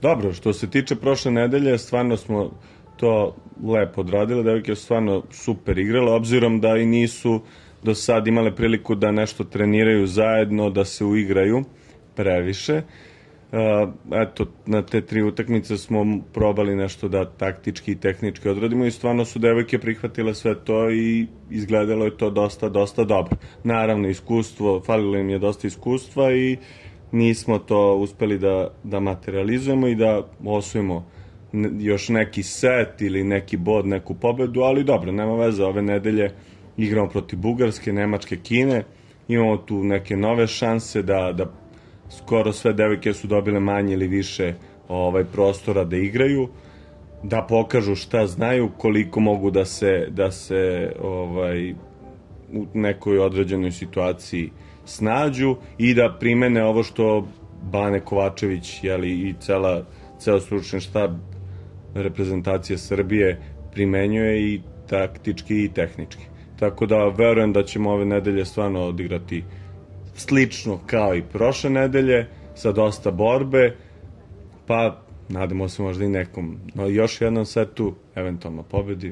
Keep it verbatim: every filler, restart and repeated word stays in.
Dobro, što se tiče prošle nedelje, stvarno smo to lepo odradile, devojke su stvarno super igrale, obzirom da i nisu do sad imale priliku da nešto treniraju zajedno, da se uigraju previše. Uh, eto, na te tri utakmice smo probali nešto da taktički i tehnički odradimo i stvarno su devojke prihvatile sve to i izgledalo je to dosta, dosta dobro. Naravno, iskustvo, falilo im je dosta iskustva i nismo to uspeli da, da materializujemo i da osvojimo još neki set ili neki bod, neku pobedu, ali dobro, nema veze, ove nedelje igramo protiv Bugarske, Nemačke, Kine, imamo tu neke nove šanse da, da skoro sve devojke su dobile manje ili više ovaj prostora da igraju, da pokažu šta znaju, koliko mogu da se, da se ovaj, u nekoj određenoj situaciji snađu i da primene ovo što Bane Kovačević, jeli, i cela, ceo stručni štab reprezentacije Srbije primenjuje i taktički i tehnički. Tako da verujem da ćemo ove nedelje stvarno odigrati slično kao i prošle nedelje, sa dosta borbe, pa nadamo se možda i nekom, no još jednom setu, eventualno pobedi.